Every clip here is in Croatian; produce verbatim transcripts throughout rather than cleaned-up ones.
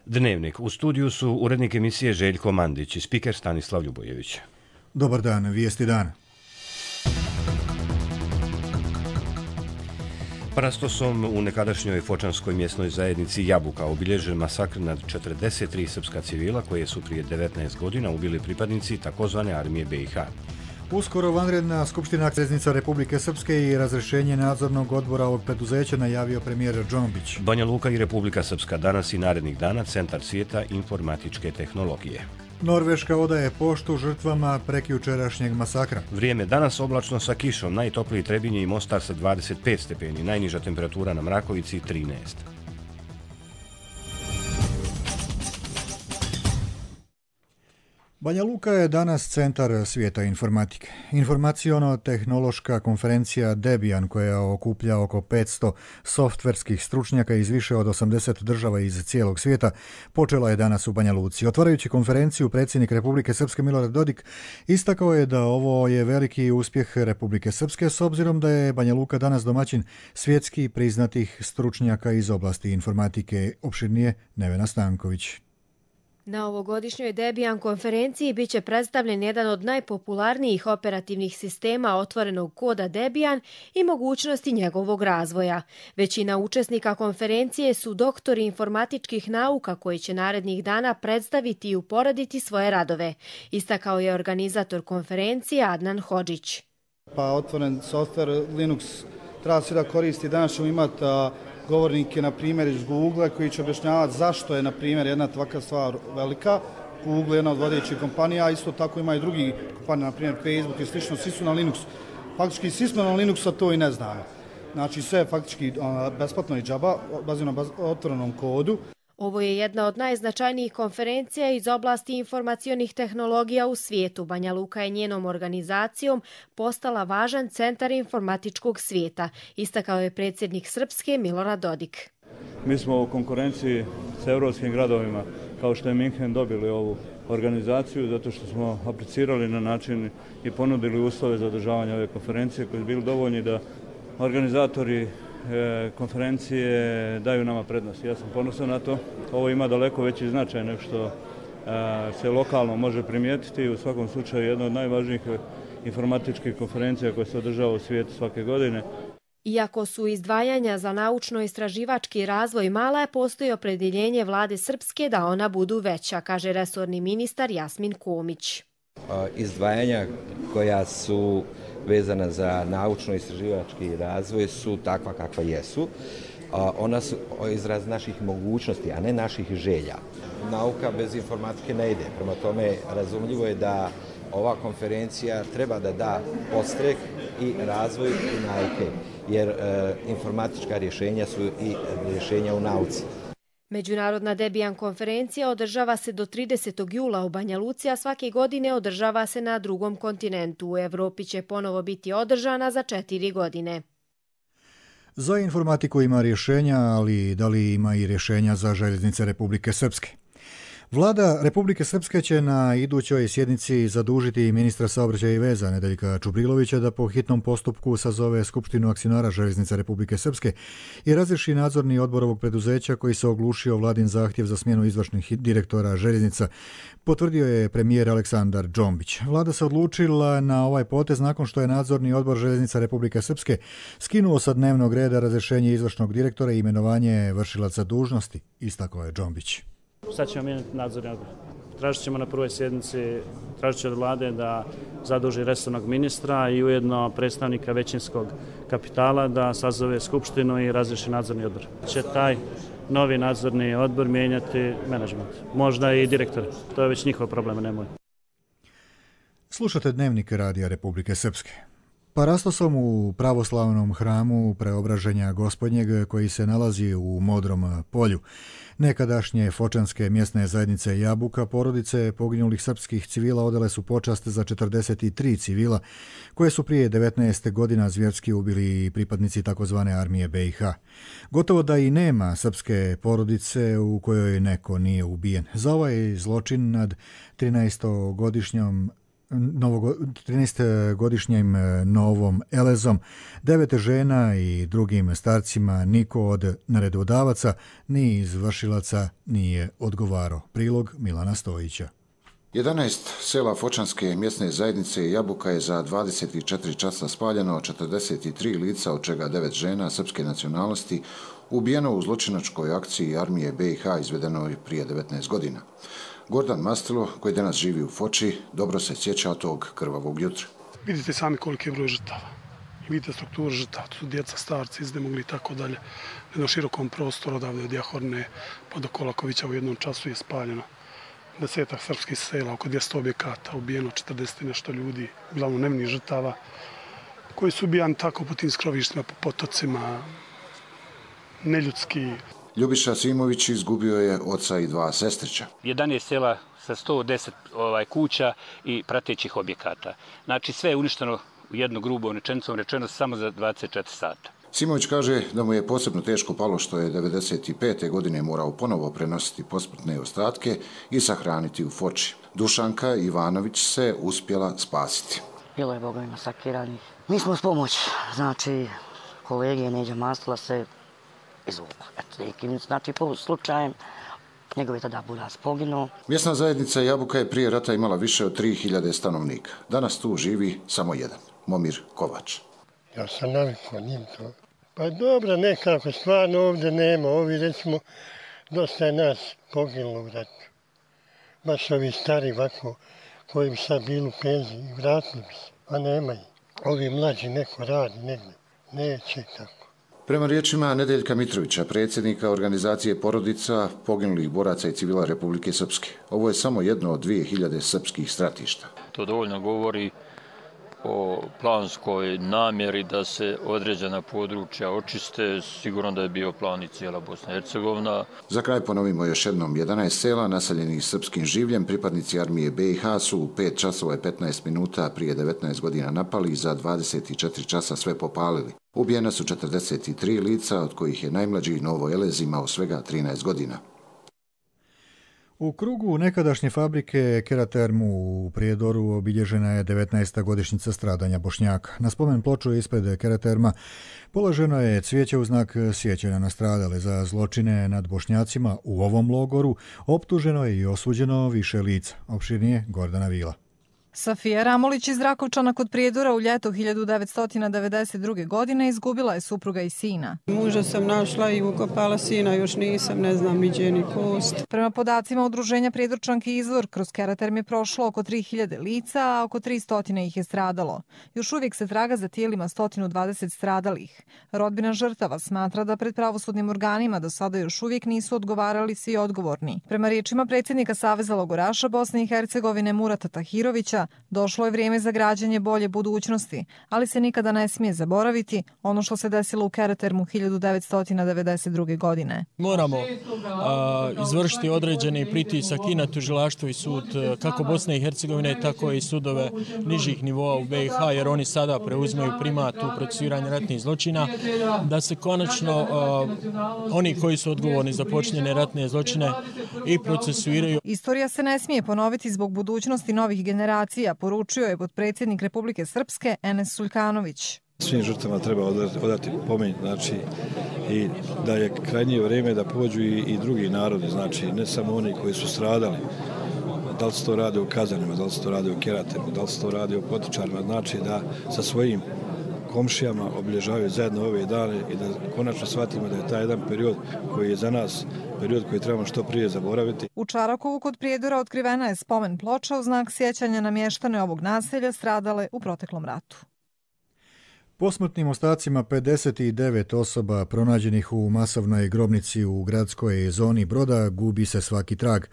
Dnevnik. U studiju su urednik emisije Željko Mandić i spiker Stanislav Ljubojević. Dobar dan, vijesti dana. Parastosom u nekadašnjoj fočanskoj mjesnoj zajednici Jabuka obilježen masakr nad četrdeset tri srpska civila koje su prije devetnaest godina ubili pripadnici takozvane armije be i ha. Uskoro vanredna skupština Željeznica Republike Srpske i razrješenje nadzornog odbora ovog preduzeća najavio premijer Džombić. Banja Luka i Republika Srpska danas i narednih dana centar svijeta informatičke tehnologije. Norveška odaje poštu žrtvama prekjučerašnjeg masakra. Vrijeme danas oblačno sa kišom, najtopliji Trebinje i Mostar sa dvadeset pet stepeni, najniža temperatura na Mrakovici trinaest. Banja Luka je danas centar svijeta informatike. Informaciono-tehnološka konferencija Debian, koja okuplja oko petsto softverskih stručnjaka iz više od osamdeset država iz cijelog svijeta, počela je danas u Banja Luci. Otvarajući konferenciju, predsjednik Republike Srpske Milorad Dodik istakao je da ovo je veliki uspjeh Republike Srpske s obzirom da je Banja Luka danas domaćin svjetski priznatih stručnjaka iz oblasti informatike. Opširnije Nevena Stanković. Na ovogodišnjoj Debian konferenciji bit će predstavljen jedan od najpopularnijih operativnih sistema otvorenog koda Debian i mogućnosti njegovog razvoja. Većina učesnika konferencije su doktori informatičkih nauka koji će narednih dana predstaviti i uporediti svoje radove, istakao je organizator konferencije Adnan Hodžić. Pa otvoren softver Linux treba se da koristi. Danas ćemo imati govornike, na primjer, iz Google koji će objašnjavati zašto je, na primjer, jedna takva stvar velika. Google je jedna od vodećih kompanija, a isto tako ima i drugi kompanije, na primjer Facebook i slično, svi su na Linuxu. Faktički svi smo na Linuxu, a to i ne znamo. Znači sve je faktički besplatno i džaba, bazirano na otvorenom kodu. Ovo je jedna od najznačajnijih konferencija iz oblasti informacionih tehnologija u svijetu. Banja Luka je njenom organizacijom postala važan centar informatičkog svijeta, istakao je predsjednik Srpske Milorad Dodik. Mi smo u konkurenciji s evropskim gradovima, kao što je Minhen, dobili ovu organizaciju zato što smo aplicirali na način i ponudili uslove za održavanje ove konferencije koji su bili dovoljni da organizatori konferencije daju nama prednost. Ja sam ponosan na to. Ovo ima daleko veći značaj nego što se lokalno može primijetiti. U svakom slučaju jedna od najvažnijih informatičkih konferencija koja se održava u svijetu svake godine. Iako su izdvajanja za naučno-istraživački razvoj mala, postoji opredjeljenje vlade Srpske da ona budu veća, kaže resorni ministar Jasmin Komić. Izdvajanja koja su vezana za naučno-istraživački razvoj su takva kakva jesu. Ona su izraz naših mogućnosti, a ne naših želja. Nauka bez informatike ne ide. Prema tome, razumljivo je da ova konferencija treba da da podstrek i razvoj i nauke, jer e, informatička rješenja su i rješenja u nauci. Međunarodna Debian konferencija održava se do tridesetog jula u Banja Luci, a svake godine održava se na drugom kontinentu. U Evropi će ponovo biti održana za četiri godine. Za informatiku ima rješenja, ali da li ima i rješenja za željeznice Republike Srpske? Vlada Republike Srpske će na idućoj sjednici zadužiti ministra saobraćaja i veza Nedeljka Čubrilovića da po hitnom postupku sazove Skupštinu akcionara Željeznica Republike Srpske i razriješi nadzorni odbor ovog preduzeća koji se oglušio vladin zahtjev za smjenu izvršnih direktora željeznica, potvrdio je premijer Aleksandar Džombić. Vlada se odlučila na ovaj potez nakon što je nadzorni odbor Željeznica Republike Srpske skinuo sa dnevnog reda razrješenje izvršnog direktora i imenovanje vršilaca dužnosti, istakao je Džombić. Sad ćemo mijenjati nadzorni odbor. Tražit ćemo na prvoj sjednici, tražit će od vlade da zaduži resornog ministra i ujedno predstavnika većinskog kapitala da sazove skupštinu i razriješi nadzorni odbor. Će taj novi nadzorni odbor mijenjati menadžment, možda i direktor. To je već njihov problem, ne moj. Slušate Dnevnik Radija Republike Srpske. Parastosom u pravoslavnom hramu Preobraženja Gospodnjeg koji se nalazi u Modrom polju nekadašnje fočanske mjesne zajednice Jabuka, porodice poginulih srpskih civila odale su počast za četrdeset tri civila koje su prije devetnaest godina zvjerski ubili pripadnici takozvane armije be i ha. Gotovo da i nema srpske porodice u kojoj neko nije ubijen. Za ovaj zločin nad trinaestogodišnjom trinaestogodišnjim Novom Elezom, devet žena i drugim starcima niko od naredodavaca ni izvršilaca nije odgovarao. Prilog Milana Stojića. jedanaest sela Fočanske mjesne zajednice Jabuka je za dvadeset četiri časa spaljeno, četrdeset tri lica, od čega devet žena srpske nacionalnosti, ubijeno u zločinačkoj akciji armije B i H izvedenoj prije devetnaest godina. Gordan Mastilo, koji danas živi u Foči, dobro se sjeća tog krvavog jutra. Vidite sami koliki je broj žrtava. Vidite strukturu žrtava, to su djeca, starci, iznemogli i tako dalje. Na jednom širokom prostoru odavde od Jahorne pa do Kolakovića u jednom času je spaljeno desetak srpskih sela, oko dvjesto objekata, ubijeno četrdeset nešto ljudi, uglavnom nevinih žrtava, koji su ubijani tako po tim skrovištima, po potocima, neljudski. Ljubiša Simović izgubio je oca i dva sestrića. jedanaest sela sa sto deset ovaj, kuća i pratećih objekata. Znači sve je uništeno u jednu grubo rečenicom rečeno samo za dvadeset četiri sata. Simović kaže da mu je posebno teško palo što je devedeset pete godine morao ponovo prenositi posmrtne ostatke i sahraniti u Foči. Dušanka Ivanović se uspjela spasiti. Bilo je bogovima masakiranih. Mi smo s pomoć, znači kolege Neđa Mastila se izvukla. Eto, znači po slučajem njegov je tada buraz poginuo. Mjesna zajednica Jabuka je prije rata imala više od tri hiljade stanovnika. Danas tu živi samo jedan, Momir Kovač. Ja sam navikao njim to. Pa dobro, nekako stvarno ovdje nema. Ovi recimo, dosta je nas poginulo u ratu. Baš ovi stari ovako, koji bi sad bili u penziji i vratili bi se. A nema ih. Ovi mlađi neko radi negdje. Neće tako. Prema riječima Nedeljka Mitrovića, predsjednika organizacije porodica poginulih boraca i civila Republike Srpske. Ovo je samo jedno od dvije hiljade srpskih stratišta. To dovoljno govori o planskoj namjeri da se određena područja očiste, sigurno da je bio plan i cijela Bosna i Hercegovina. Za kraj ponovimo još jednom, jedanaest sela naseljenih srpskim življem pripadnici armije B i H su u pet časova i petnaest minuta prije devetnaest godina napali i za dvadeset četiri časa sve popalili. Ubijena su četrdeset tri lica, od kojih je najmlađi Novo Elez imao svega trinaest godina. U krugu nekadašnje fabrike Keratermu u Prijedoru obilježena je devetnaesta godišnjica stradanja Bošnjaka. Na spomen ploču ispred Keraterma položeno je cvijeće u znak sjećanja na stradale. Za zločine nad Bošnjacima u ovom logoru optuženo je i osuđeno više lica. Opširnije Gordana Vila. Safija Ramolić iz Rakovčana kod Prijedora u ljeto hiljadu devetsto devedeset druge. godine izgubila je supruga i sina. Muža sam našla i ukopala, sina još nisam, ne znam niđe ni kost. Prema podacima udruženja Prijedorčanki Izvor, kroz Keraterm je prošlo oko tri hiljade lica, a oko tristo ih je stradalo. Još uvijek se traga za tijelima sto dvadeset stradalih. Rodbina žrtava smatra da pred pravosudnim organima do sada još uvijek nisu odgovarali svi odgovorni. Prema riječima predsjednika Saveza logoraša Bosne i Hercegovine Murata Tahirovića, došlo je vrijeme za građenje bolje budućnosti, ali se nikada ne smije zaboraviti ono što se desilo u Keratermu hiljadu devetsto devedeset druge. godine. Moramo a, izvršiti određeni pritisak i na tužilaštvo i sud kako Bosne i Hercegovine, tako i sudove nižih nivoa u B i H, jer oni sada preuzimaju primat u procesuiranju ratnih zločina, da se konačno a, oni koji su odgovorni za počinjene ratne zločine i procesuiraju. Istorija se ne smije ponoviti zbog budućnosti novih generacija, poručio je potpredsjednik Republike Srpske Enes Suljkanović. Svim žrtvama treba odati pomen, znači i da je krajnje vrijeme da pođu i, i drugi narodi, znači ne samo oni koji su stradali. Da li se to radi o Kazanima, da li se to radi o Keratermu, da li se to radi o Potičarima, znači da sa svojim komšijama obilježavaju zajedno ove dane i da konačno shvatimo da je taj jedan period koji je za nas period koji trebamo što prije zaboraviti. U Čarakovu kod Prijedora otkrivena je spomen ploča u znak sjećanja na mještane ovog naselja stradale u proteklom ratu. Posmrtnim ostacima pedeset devet osoba pronađenih u masovnoj grobnici u gradskoj zoni Broda gubi se svaki trag.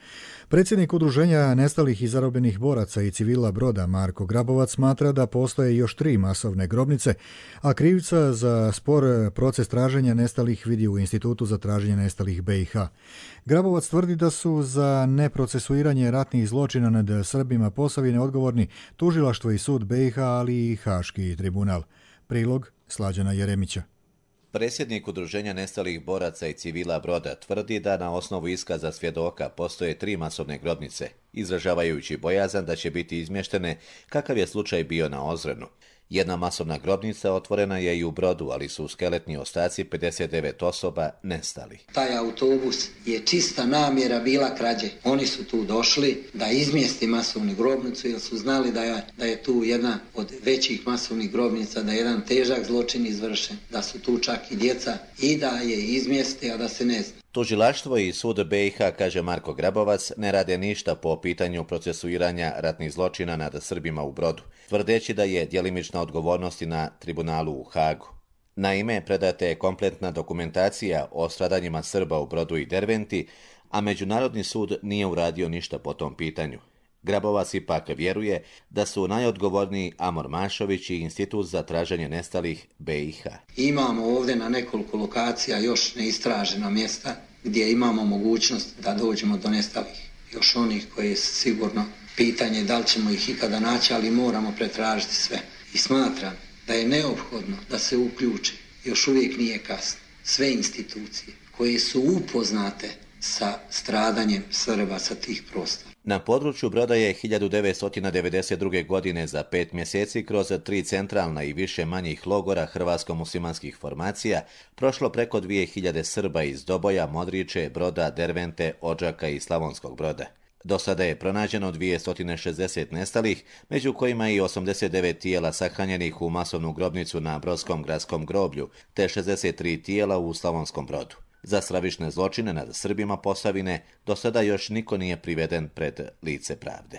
Predsjednik udruženja nestalih i zarobljenih boraca i civila Broda Marko Grabovac smatra da postoje još tri masovne grobnice, a krivica za spor proces traženja nestalih vidi u Institutu za traženje nestalih B i H. Grabovac tvrdi da su za neprocesuiranje ratnih zločina nad Srbima Posavine odgovorni tužilaštvo i sud B i H, ali i Haški tribunal. Prilog Slađana Jeremića. Predsjednik Udruženja nestalih boraca i civila Broda tvrdi da na osnovu iskaza svjedoka postoje tri masovne grobnice, izražavajući bojazan da će biti izmještene kakav je slučaj bio na Ozrenu. Jedna masovna grobnica otvorena je i u Brodu, ali su skeletni ostaci pedeset devet osoba nestali. Taj autobus je čista namjera bila krađe. Oni su tu došli da izmjesti masovnu grobnicu jer su znali da je, da je tu jedna od većih masovnih grobnica, da je jedan težak zločin izvršen, da su tu čak i djeca i da je izmjeste, a da se ne zna. Tužilaštvo i sud B i H, kaže Marko Grabovac, ne rade ništa po pitanju procesuiranja ratnih zločina nad Srbima u Brodu, tvrdeći da je djelimična odgovornost na tribunalu u Hagu. Naime, predata je kompletna dokumentacija o stradanjima Srba u Brodu i Derventi, a Međunarodni sud nije uradio ništa po tom pitanju. Grabovac ipak vjeruje da su najodgovorniji Amor Mašović i Institut za traženje nestalih B i H. Imamo ovdje na nekoliko lokacija još neistražena mjesta gdje imamo mogućnost da dođemo do nestalih. Još onih koji je sigurno pitanje da li ćemo ih ikada naći, ali moramo pretražiti sve. I smatram da je neophodno da se uključi, još uvijek nije kasno, sve institucije koje su upoznate sa stradanjem Srba sa tih prostora. Na području Broda je hiljadu devetsto devedeset druge. godine za pet mjeseci kroz tri centralna i više manjih logora hrvatsko-muslimanskih formacija prošlo preko dvije hiljade Srba iz Doboja, Modriče, Broda, Dervente, Odžaka i Slavonskog Broda. Do sada je pronađeno dvjesto šezdeset nestalih, među kojima i osamdeset devet tijela sahranjenih u masovnu grobnicu na Brodskom gradskom groblju, te šezdeset tri tijela u Slavonskom Brodu. Za stravične zločine nad Srbima Posavine do sada još niko nije priveden pred lice pravde.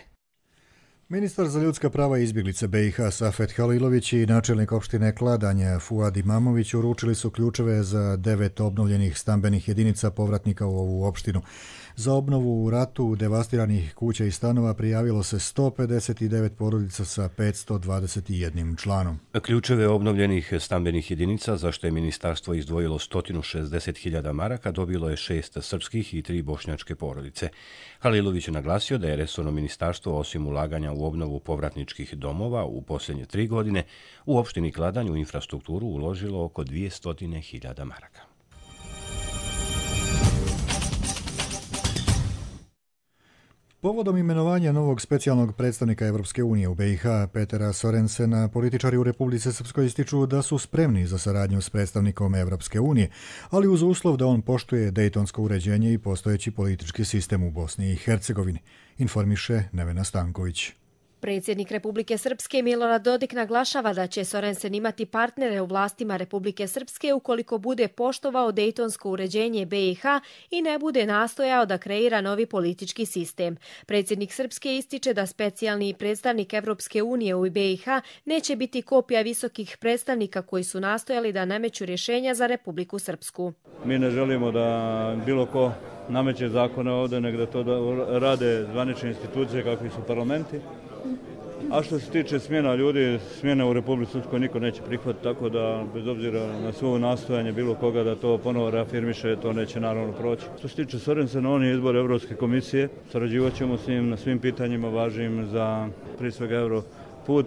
Ministar za ljudska prava i izbjeglice B i H Safet Halilović i načelnik opštine Kladanje Fuad Imamović uručili su ključeve za devet obnovljenih stambenih jedinica povratnika u ovu opštinu. Za obnovu u ratu devastiranih kuća i stanova prijavilo se sto pedeset devet porodica sa petsto dvadeset jedan članom. Ključeve obnovljenih stambenih jedinica, za što je ministarstvo izdvojilo sto šezdeset hiljada maraka, dobilo je šest srpskih i tri bošnjačke porodice. Halilović je naglasio da je resorno ministarstvo, osim ulaganja u obnovu povratničkih domova u posljednje tri godine, u opštini Kladanj u infrastrukturu uložilo oko dvjesto hiljada maraka. Povodom imenovanja novog specijalnog predstavnika Evropske unije u B i H, Petera Sorensena, političari u Republici Srpskoj ističu da su spremni za saradnju s predstavnikom Evropske unije, ali uz uslov da on poštuje dejtonsko uređenje i postojeći politički sistem u Bosni i Hercegovini, informiše Nevena Stanković. Predsjednik Republike Srpske Milorad Dodik naglašava da će Sorensen imati partnere u vlastima Republike Srpske ukoliko bude poštovao dejtonsko uređenje B i H i ne bude nastojao da kreira novi politički sistem. Predsjednik Srpske ističe da specijalni predstavnik Evropske unije u B i H neće biti kopija visokih predstavnika koji su nastojali da nameću rješenja za Republiku Srpsku. Mi ne želimo da bilo ko nameće zakone ovdje, nego da to da rade zvanične institucije kakvi su parlamenti. A što se tiče smjena ljudi, smjene u Republici Srpskoj niko neće prihvatiti, tako da bez obzira na svoje nastojanje bilo koga da to ponovo reafirmiše, to neće naravno proći. Što se tiče Sorensena, on je izbor Evropske komisije, sarađivat ćemo s njim na svim pitanjima važnim za prije svega Europut.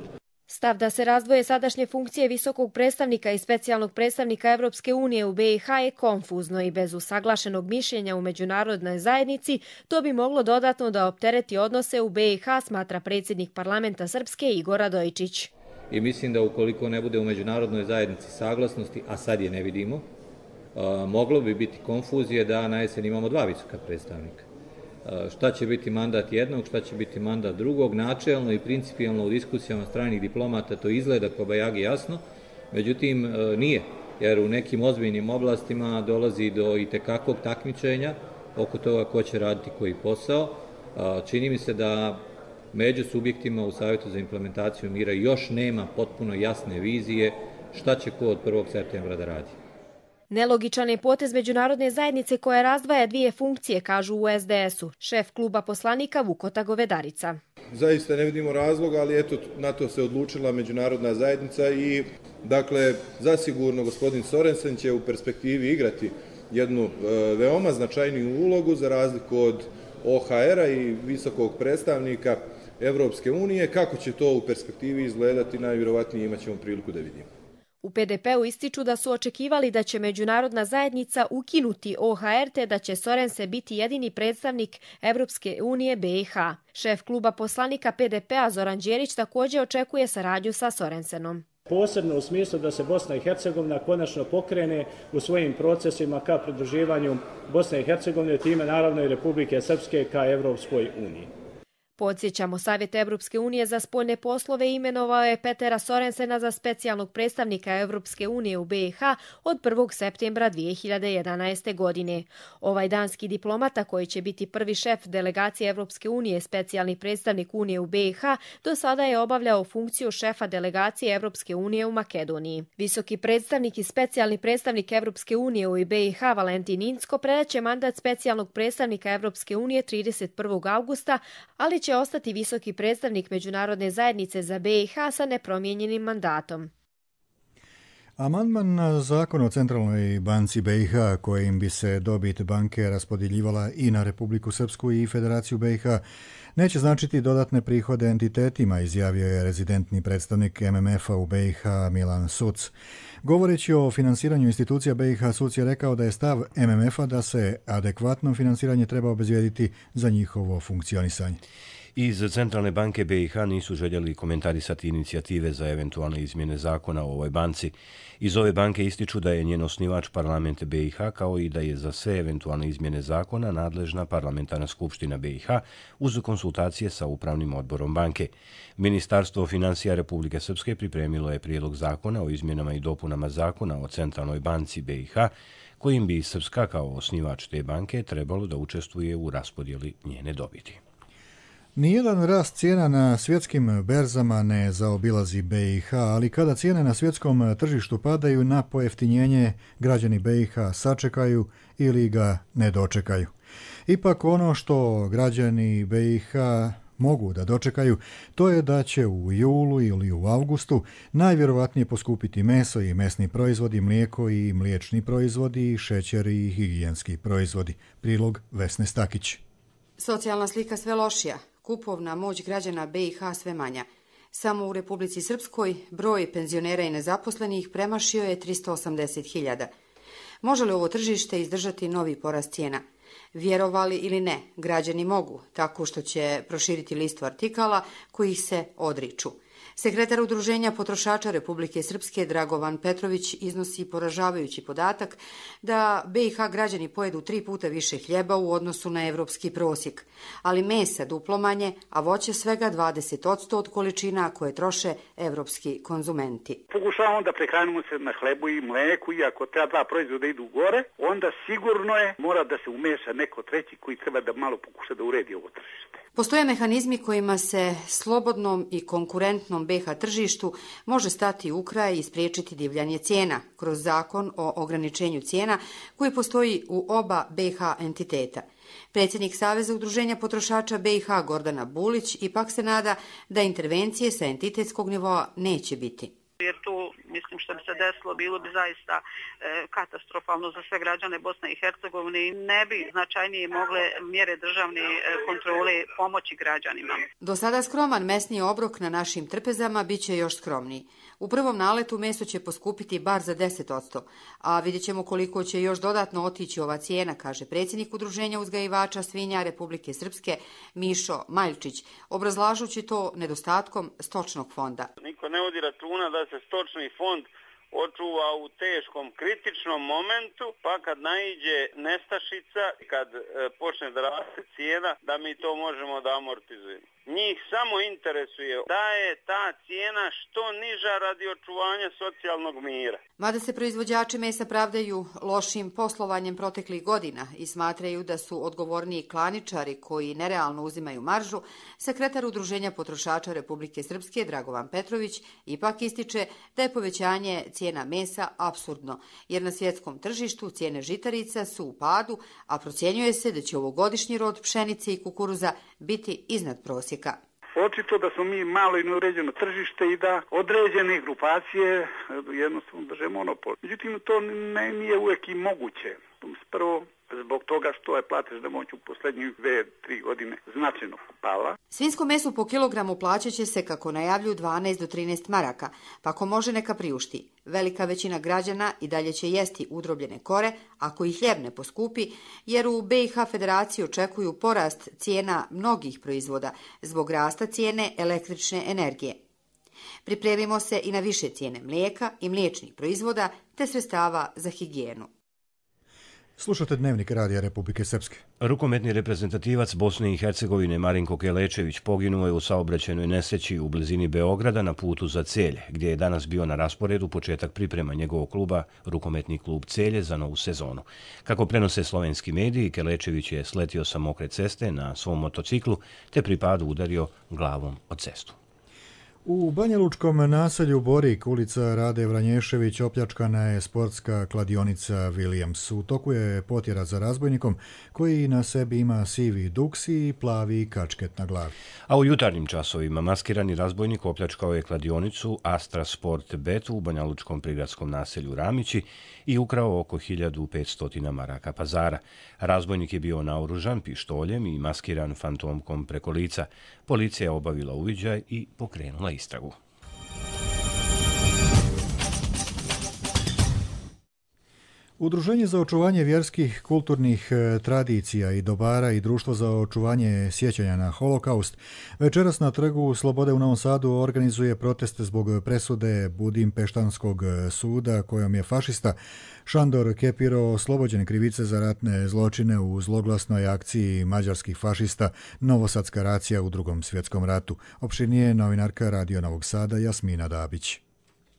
Stav da se razdvoje sadašnje funkcije visokog predstavnika i specijalnog predstavnika Evropske unije u B i H je konfuzno i bez usaglašenog mišljenja u međunarodnoj zajednici to bi moglo dodatno da optereti odnose u B i H, smatra predsjednik parlamenta Srpske Igor Radojičić. I mislim da ukoliko ne bude u međunarodnoj zajednici saglasnosti, a sad je ne vidimo, moglo bi biti konfuzije da na jesen imamo dva visoka predstavnika. Šta će biti mandat jednog, šta će biti mandat drugog, načelno i principijalno u diskusijama stranih diplomata to izgleda kao bajagi jasno, međutim nije, jer u nekim ozbiljnim oblastima dolazi do itekakvog takmičenja oko toga ko će raditi koji posao. Čini mi se da među subjektima u Savjetu za implementaciju mira još nema potpuno jasne vizije šta će ko od prvog septembra da radi. Nelogičan je potez međunarodne zajednice koja razdvaja dvije funkcije, kažu u S D S-u, šef kluba poslanika Vukota Govedarica. Zaista ne vidimo razloga, ali eto, na to se odlučila međunarodna zajednica i, dakle, zasigurno gospodin Sorensen će u perspektivi igrati jednu e, veoma značajniju ulogu za razliku od O H R-a i visokog predstavnika Evropske unije. Kako će to u perspektivi izgledati, najvjerovatnije imat ćemo priliku da vidimo. U P D P-u ističu da su očekivali da će međunarodna zajednica ukinuti O H R te da će Sorense biti jedini predstavnik Evropske unije B i H. Šef kluba poslanika P D P-a Zoran Đerić također očekuje saradnju sa Sorensenom. Posebno u smislu da se Bosna i Hercegovina konačno pokrene u svojim procesima ka pridruživanju Bosne i Hercegovine, time naravno i Republike Srpske ka Evropskoj uniji. Podsjećamo, Savjet Evropske unije za spoljne poslove imenovao je Petera Sorensena za specijalnog predstavnika Evropske unije u B i H od prvog septembra dvije hiljade jedanaeste. godine. Ovaj danski diplomata, koji će biti prvi šef delegacije Evropske unije, specijalni predstavnik Unije u B i H, do sada je obavljao funkciju šefa delegacije Evropske unije u Makedoniji. Visoki predstavnik i specijalni predstavnik Evropske unije u B i H Valentin Incko predaće mandat specijalnog predstavnika Evropske unije trideset prvog avgusta, ali će ostati visoki predstavnik Međunarodne zajednice za B i H sa nepromijenjenim mandatom. Amandman na zakon o Centralnoj banci B i H, kojim bi se dobit banke raspodjeljivala i na Republiku Srpsku i Federaciju B i H, neće značiti dodatne prihode entitetima, izjavio je rezidentni predstavnik M M F-a u B i H Milan Suc. Govoreći o finansiranju institucija B i H, Suc je rekao da je stav M M F-a da se adekvatno finansiranje treba obezbijediti za njihovo funkcionisanje. Iz Centralne banke B i H nisu željeli komentarisati inicijative za eventualne izmjene zakona o ovoj banci. Iz ove banke ističu da je njen osnivač parlament B i H, kao i da je za sve eventualne izmjene zakona nadležna parlamentarna skupština B i H uz konsultacije sa upravnim odborom banke. Ministarstvo financija Republike Srpske pripremilo je prijedlog zakona o izmjenama i dopunama zakona o Centralnoj banci B i H, kojim bi Srpska kao osnivač te banke trebalo da učestvuje u raspodjeli njene dobiti. Nijedan rast cijena na svjetskim berzama ne zaobilazi B i H, ali kada cijene na svjetskom tržištu padaju, na pojeftinjenje građani B i H sačekaju ili ga ne dočekaju. Ipak ono što građani B i H mogu da dočekaju, to je da će u julu ili u avgustu najvjerovatnije poskupiti meso i mesni proizvodi, mlijeko i mliječni proizvodi, šećer i higijenski proizvodi. Prilog Vesne Stakić. Socijalna slika sve lošija. Kupovna moć građana B i H sve manja. Samo u Republici Srpskoj broj penzionera i nezaposlenih premašio je tristo osamdeset hiljada. Može li ovo tržište izdržati novi porast cijena? Vjerovali ili ne, građani mogu, tako što će proširiti listu artikala kojih se odriču. Sekretar Udruženja potrošača Republike Srpske Dragovan Petrović iznosi poražavajući podatak da B i H građani pojedu tri puta više hljeba u odnosu na evropski prosjek, ali mesa duplo manje, a voće svega dvadeset posto od količina koje troše evropski konzumenti. Pokušavamo da prehranimo se na hlebu i mleku, i ako ta dva proizvoda idu gore, onda sigurno je mora da se umeša neko treći koji treba da malo pokuša da uredi ovo tržište. Postoje mehanizmi kojima se slobodnom i konkurentnom B i H tržištu može stati u kraj i spriječiti divljanje cijena kroz zakon o ograničenju cijena koji postoji u oba B i H entiteta. Predsjednik Saveza udruženja potrošača B i H Gordana Bulić ipak se nada da intervencije sa entitetskog nivoa neće biti. Jer to, mislim, što bi se desilo, bilo bi zaista e, katastrofalno za sve građane Bosne i Hercegovine i ne bi značajnije mogle mjere državne e, kontrole pomoći građanima. Do sada skroman mesni obrok na našim trpezama bit će još skromniji. U prvom naletu meso će poskupiti bar za deset posto, a vidjet ćemo koliko će još dodatno otići ova cijena, kaže predsjednik Udruženja uzgajivača svinja Republike Srpske Mišo Maljčić, obrazlažući to nedostatkom stočnog fonda. Niko ne vodi računa da se stočni fond očuva u teškom, kritičnom momentu, pa kad naiđe nestašica, kad e, počne da raste cijena, da mi to možemo da amortizujemo. Njih samo interesuje da je ta cijena što niža radi očuvanja socijalnog mira. Mada se proizvođači mesa pravdaju lošim poslovanjem proteklih godina i smatraju da su odgovorniji klaničari koji nerealno uzimaju maržu, sekretar Udruženja potrošača Republike Srpske Dragovan Petrović ipak ističe da je povećanje cijena mesa apsurdno, jer na svjetskom tržištu cijene žitarica su u padu, a procjenjuje se da će ovogodišnji rod pšenice i kukuruza biti iznad prosjeka. Očito da smo mi malo i neuređeno tržište i da određene grupacije jednostavno drže monopol. Međutim, to ne, nije uvijek i moguće. Prvo, zbog toga što je platežna moć u posljednjih dve, tri godine značajno pala. Svinjsko meso po kilogramu plaćat će se, kako najavljuju, dvanaest do trinaest maraka, pa ko može neka priušti. Velika većina građana i dalje će jesti udrobljene kore ako i hljeb ne poskupi, jer u B i H Federaciji očekuju porast cijena mnogih proizvoda zbog rasta cijene električne energije. Pripremimo se i na više cijene mlijeka i mliječnih proizvoda te sredstava za higijenu. Slušate Dnevnik Radija Republike Srpske. Rukometni reprezentativac Bosne i Hercegovine Marinko Kelečević poginuo je u saobraćajnoj nesreći u blizini Beograda na putu za Celje, gdje je danas bio na rasporedu početak priprema njegovog kluba, Rukometni klub Celje, za novu sezonu. Kako prenose slovenski mediji, Kelečević je sletio sa mokre ceste na svom motociklu te pri padu udario glavom o cestu. U Banjalučkom naselju Borik, ulica Rade Vranješević, opljačkana je sportska kladionica Williams. U toku je potjera za razbojnikom koji na sebi ima sivi duks i plavi kačket na glavi. A u jutarnjim časovima maskirani razbojnik opljačkao je kladionicu Astra Sport Bet u banjalučkom prigradskom naselju Ramići i ukrao oko hiljadu petsto maraka pazara. Razbojnik je bio naoružan pištoljem i maskiran fantomkom preko lica. Policija je obavila uviđaj i pokrenula istragu. Udruženje za očuvanje vjerskih, kulturnih tradicija i dobara i Društvo za očuvanje sjećanja na holokaust večeras na Trgu Slobode u Novom Sadu organizuje protest zbog presude Budimpeštanskog suda kojom je fašista Šandor Kepiro oslobođen krivice za ratne zločine u zloglasnoj akciji mađarskih fašista Novosadska racija u Drugom svjetskom ratu. Opširnije novinarka Radio Novog Sada Jasmina Dabić.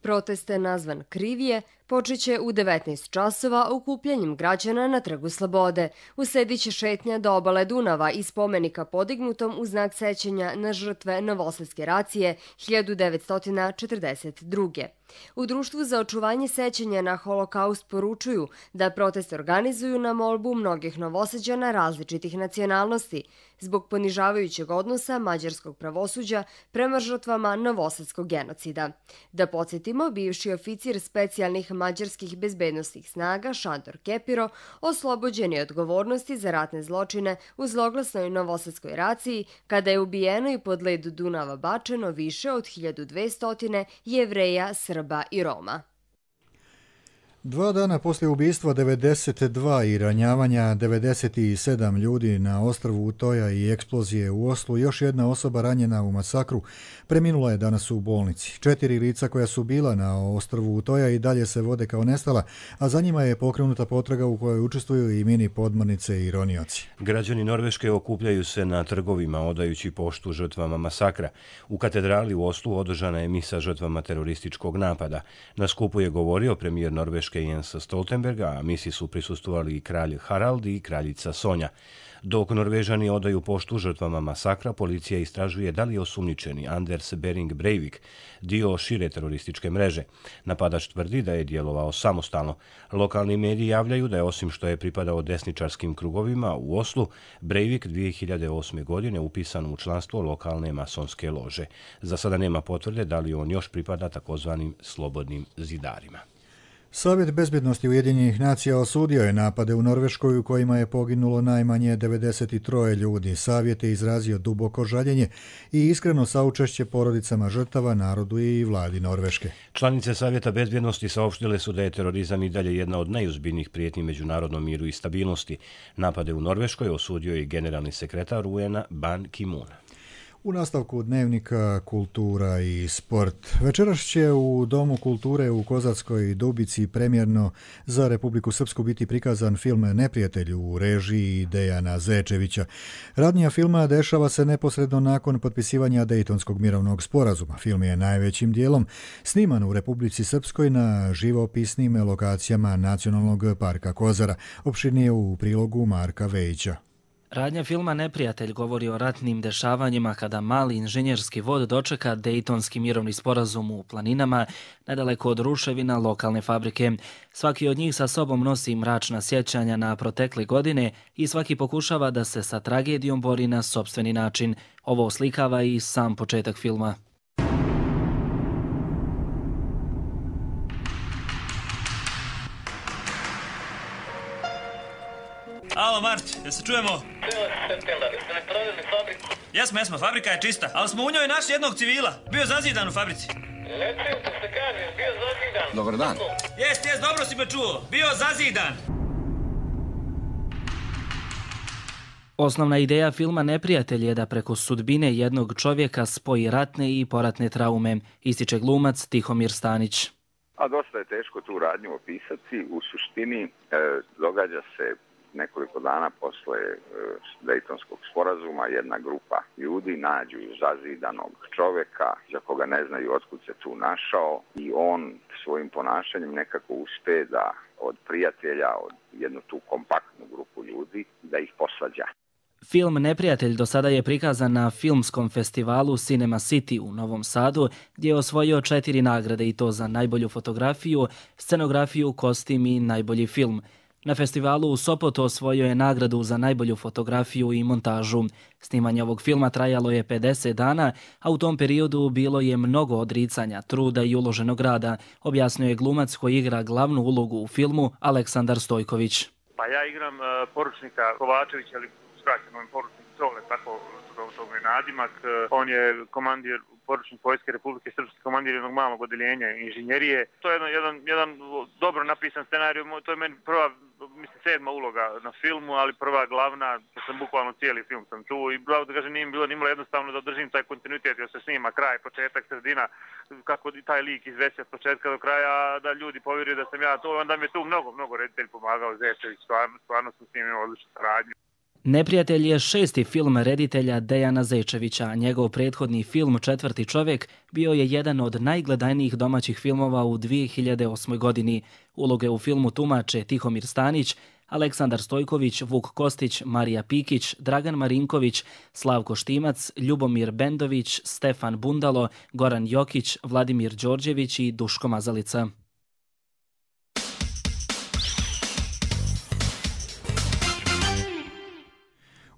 Protest je nazvan Krivije, počeće u devetnaest časova okupljanjem građana na Trgu Slobode. Uslediće šetnja do obale Dunava i spomenika podignutom u znak sećanja na žrtve Novosadske racije hiljadu devetsto četrdeset druge. U Društvu za očuvanje sećanja na holokaust poručuju da protest organizuju na molbu mnogih Novosađana različitih nacionalnosti zbog ponižavajućeg odnosa mađarskog pravosuđa prema žrtvama Novosadskog genocida. Da podsjetimo, bivši oficir specijalnih mađarskih bezbednostnih snaga Šandor Kepiro oslobođen je odgovornosti za ratne zločine u zloglasnoj Novosadskoj raciji kada je ubijeno i pod led Dunava bačeno više od hiljadu dvesta Jevreja, Srba i Roma. Dva dana poslije ubistva devedeset dva i ranjavanja devedeset sedam ljudi na ostrvu Utoja i eksplozije u Oslu, još jedna osoba ranjena u masakru preminula je danas u bolnici. Četiri lica koja su bila na ostrvu Utoja i dalje se vode kao nestala, a za njima je pokrenuta potraga u kojoj učestvuju i mini podmornice i ronioci. Građani Norveške okupljaju se na trgovima odajući poštu žrtvama masakra. U katedrali u Oslu održana je misa žrtvama terorističkog napada. Na skupu je govorio premijer Norveške Jens Stoltenberg, a misi su prisustvovali i kralj Harald i kraljica Sonja. Dok Norvežani odaju poštu žrtvama masakra, policija istražuje da li je osumnjičeni Anders Behring Breivik dio šire terorističke mreže. Napadač tvrdi da je djelovao samostalno. Lokalni mediji javljaju da je, osim što je pripadao desničarskim krugovima u Oslu, Breivik dvije hiljade osme. godine upisan u članstvo lokalne masonske lože. Za sada nema potvrde da li on još pripada takozvanim slobodnim zidarima. Savjet bezbjednosti Ujedinjenih nacija osudio je napade u Norveškoj u kojima je poginulo najmanje devedeset tri ljudi. Savjet je izrazio duboko žaljenje i iskreno saučešće porodicama žrtava, narodu i vladi Norveške. Članice Savjeta bezbjednosti saopštile su da je terorizam i dalje jedna od najozbiljnijih prijetnji međunarodnom miru i stabilnosti. Napade u Norveškoj osudio je i generalni sekretar U N A Ban Ki-moon. U nastavku Dnevnika kultura i sport. Večeras će u Domu kulture u Kozatskoj Dubici premjerno za Republiku Srpsku biti prikazan film Neprijatelj u režiji Dejana Zečevića. Radnja filma dešava se neposredno nakon potpisivanja Dejtonskog mirovnog sporazuma. Film je najvećim dijelom sniman u Republici Srpskoj na živopisnim lokacijama Nacionalnog parka Kozara. Opširnije u prilogu Marka Vejića. Radnja filma Neprijatelj govori o ratnim dešavanjima kada mali inženjerski vod dočeka Dejtonski mirovni sporazum u planinama nedaleko od ruševina lokalne fabrike. Svaki od njih sa sobom nosi mračna sjećanja na protekle godine i svaki pokušava da se sa tragedijom bori na sopstveni način. Ovo oslikava i sam početak filma. Alo, Mart, jel se čujemo? Jesmo, jesmo, fabrika je čista, ali smo u njoj našli jednog civila. Bio zazidan u fabrici. Dobar dan. Jest, jest, dobro si me čuo. Bio zazidan. Osnovna ideja filma Neprijatelj je da preko sudbine jednog čovjeka spoji ratne i poratne traume, ističe glumac Tihomir Stanić. A dosta je teško tu radnju opisati. U suštini e, događa se nekoliko dana posle e, Dejtonskog sporazuma, jedna grupa ljudi nađu zazidanog čoveka za koga ne znaju otkud se tu našao i on svojim ponašanjem nekako uspe da od prijatelja, od jednu tu kompaktnu grupu ljudi, da ih posvađa. Film Neprijatelj do sada je prikazan na filmskom festivalu Cinema City u Novom Sadu, gdje je osvojio četiri nagrade i to za najbolju fotografiju, scenografiju, kostim i najbolji film. Na festivalu u Sopotu osvojio je nagradu za najbolju fotografiju i montažu. Snimanje ovog filma trajalo je pedeset dana, a u tom periodu bilo je mnogo odricanja, truda i uloženog rada, objasnio je glumac koji igra glavnu ulogu u filmu Aleksandar Stojković. Pa ja igram uh, poručnika Kovačevića, ali skraćeno je poručnik Cole, tako to je nadimak. On je komandir, poručnik Vojske Republike Srpske, komandir jednog malog odeljenja inženjerije. To je jedan, jedan, jedan dobro napisan scenarij, to je meni prva, mislim, sedma uloga na filmu, ali prva glavna, to sam bukvalno cijeli film sam tu i bravo da kažem, nije bilo nimalo jednostavno da održim taj kontinuitet, jer se snima kraj, početak, sredina, kako taj lik izvesi od početka do kraja, da ljudi povjeruju da sam ja to, onda mi je tu mnogo, mnogo reditelj pomagao, Zečević, stvarno, stvarno sam s njim imao odličnu saradnju. Neprijatelj je šesti film reditelja Dejana Zečevića, a njegov prethodni film Četvrti čovjek bio je jedan od najgledanijih domaćih filmova u dvije hiljade osmoj. godini. Uloge u filmu tumače Tihomir Stanić, Aleksandar Stojković, Vuk Kostić, Marija Pikić, Dragan Marinković, Slavko Štimac, Ljubomir Bendović, Stefan Bundalo, Goran Jokić, Vladimir Đorđević i Duško Mazalica.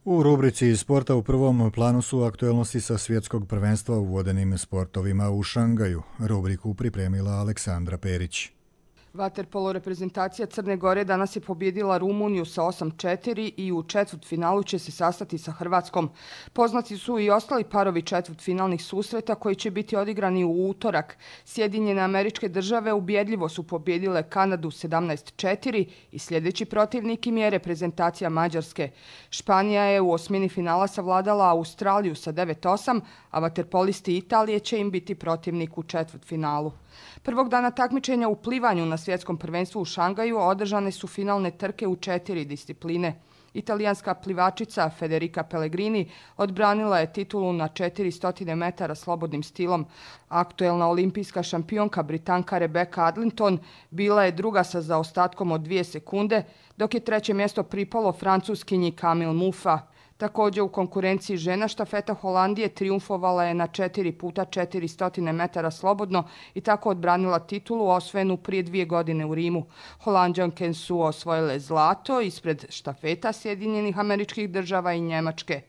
U rubrici sporta u prvom planu su aktuelnosti sa svjetskog prvenstva u vodenim sportovima u Šangaju. Rubriku pripremila Aleksandra Perić. Vaterpolo reprezentacija Crne Gore danas je pobjedila Rumuniju sa osam četiri i u četvrtfinalu će se sastati sa Hrvatskom. Poznati su i ostali parovi četvrtfinalnih susreta koji će biti odigrani u utorak. Sjedinjene Američke Države ubjedljivo su pobjedile Kanadu sedamnaest četiri i sljedeći protivnik im je reprezentacija Mađarske. Španija je u osmini finala savladala Australiju sa devet osam, a vaterpolisti Italije će im biti protivnik u četvrtfinalu. Prvog dana takmičenja u plivanju na svjetskom prvenstvu u Šangaju održane su finalne trke u četiri discipline. Italijanska plivačica Federica Pellegrini odbranila je titulu na četiristo metara slobodnim stilom. Aktuelna olimpijska šampionka Britanka Rebecca Adlington bila je druga sa zaostatkom od dvije sekunde, dok je treće mjesto pripalo Francuskinji Camille Muffa. Također u konkurenciji žena štafeta Holandije triumfovala je na četiri puta četiristo metara slobodno i tako odbranila titulu osvojenu prije dvije godine u Rimu. Holanđanke su osvojile zlato ispred štafeta Sjedinjenih Američkih Država i Njemačke.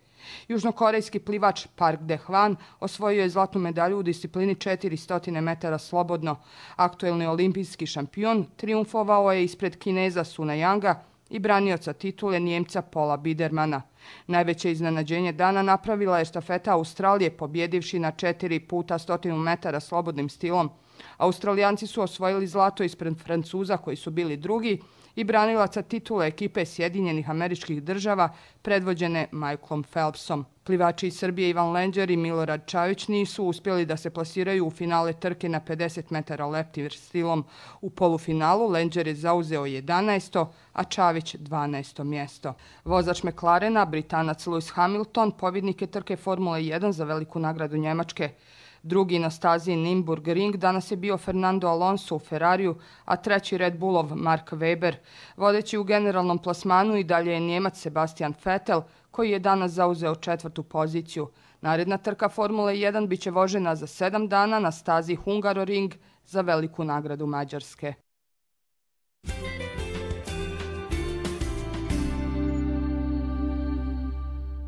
Južnokorejski plivač Park De-hwan osvojio je zlatnu medalju u disciplini četiristo metara slobodno. Aktuelni olimpijski šampion triumfovao je ispred Kineza Suna Yanga i branioca titule Njemca Paula Bidermana. Najveće iznenađenje dana napravila je štafeta Australije, pobjedivši na četiri puta stotinu metara slobodnim stilom. Australijanci su osvojili zlato ispred Francuza koji su bili drugi i branilaca titule ekipe Sjedinjenih Američkih Država predvođene Michaelom Phelpsom. Plivači iz Srbije Ivan Lenđer i Milorad Čavić nisu uspjeli da se plasiraju u finale trke na pedeset metara leptir stilom. U polufinalu Lenđer je zauzeo jedanaesto, a Čavić dvanaesto mjesto. Vozač McLarena, Britanac Lewis Hamilton, pobjednik je trke Formule jedan za veliku nagradu Njemačke. Drugi na stazi Nürburgring danas je bio Fernando Alonso u Ferrariju, a treći Red Bullov Mark Webber. Vodeći u generalnom plasmanu i dalje je Njemac Sebastian Vettel, koji je danas zauzeo četvrtu poziciju. Naredna trka Formule jedan bit će vožena za sedam dana na stazi Hungaroring za veliku nagradu Mađarske.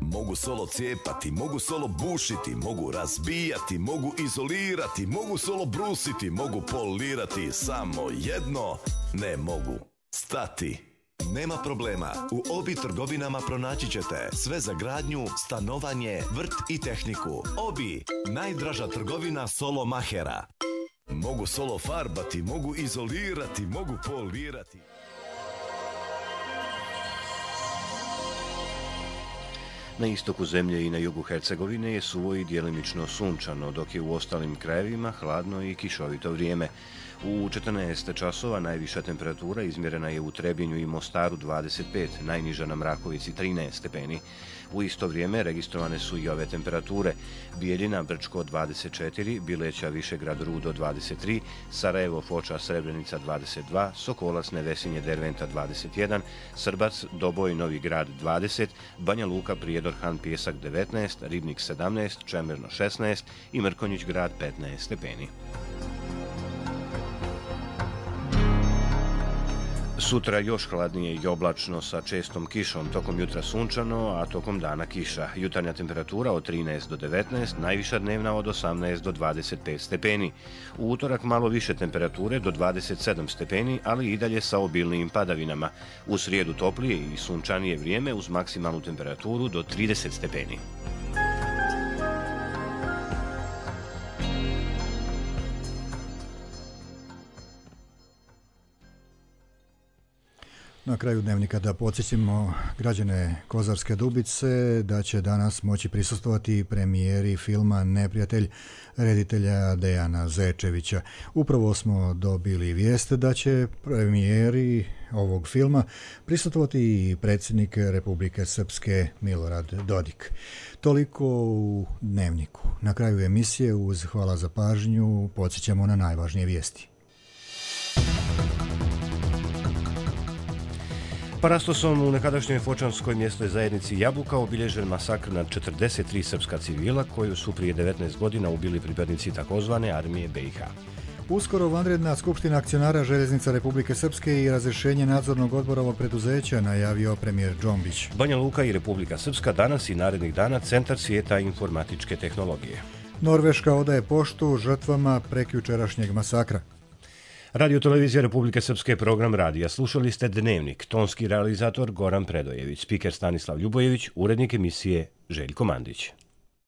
Mogu solo cijepati, mogu solo bušiti, mogu razbijati, mogu izolirati, mogu solo brusiti, mogu polirati, samo jedno ne mogu stati. Nema problema, u Obi trgovinama pronaći ćete sve za gradnju, stanovanje, vrt i tehniku. Obi, najdraža trgovina Solo Mahera. Mogu solo farbati, mogu izolirati, mogu polirati. Na istoku zemlje i na jugu Hercegovine je suvo i djelimično sunčano, dok je u ostalim krajevima hladno i kišovito vrijeme. U četrnaest časova najviša temperatura izmjerena je u Trebinju i Mostaru dvadeset pet, najniža na Mrakovici trinaest stepeni. U isto vrijeme registrovane su i ove temperature: Bijeljina, Brčko dvadeset četiri, Bileća, Višegrad, Rudo dvadeset tri, Sarajevo, Foča, Srebrenica dvadeset dva, Sokolac, Nevesinje, Derventa dvadeset jedan, Srbac, Doboj, Novi Grad dvadeset, Banja Luka, Prijedor, Han, Pjesak devetnaest, Ribnik sedamnaest, Čemerno šesnaest i Mrkonjić Grad petnaest stepeni. Sutra još hladnije i oblačno sa čestom kišom, tokom jutra sunčano, a tokom dana kiša. Jutarnja temperatura od trinaest do devetnaest, najviša dnevna od osamnaest do dvadeset pet stepeni. U utorak malo više temperature do dvadeset sedam stepeni, ali i dalje sa obilnijim padavinama. U srijedu toplije i sunčanije vrijeme uz maksimalnu temperaturu do trideset stepeni. Na kraju dnevnika da podsjetimo građane Kozarske Dubice da će danas moći prisustvovati premijeri filma Neprijatelj reditelja Dejana Zečevića. Upravo smo dobili vijest da će premijeri ovog filma prisustvovati i predsjednik Republike Srpske Milorad Dodik. Toliko u dnevniku. Na kraju emisije uz hvala za pažnju podsjećamo na najvažnije vijesti. Parastosom u nekadašnjoj fočanskoj mjesnoj zajednici Jabuka obilježen masakr nad četrdeset tri srpska civila koju su prije devetnaest godina ubili pripadnici takozvane armije B i H. Uskoro vanredna skupština akcionara Željeznica Republike Srpske i razrješenje nadzornog odbora ovog preduzeća najavio premijer Džombić. Banja Luka i Republika Srpska danas i narednih dana centar svijeta informatičke tehnologije. Norveška odaje poštu žrtvama prekjučerašnjeg masakra. Radio Televizija Republike Srpske, program radija. Slušali ste Dnevnik, tonski realizator Goran Predojević, spiker Stanislav Ljubojević, urednik emisije Željko Mandić.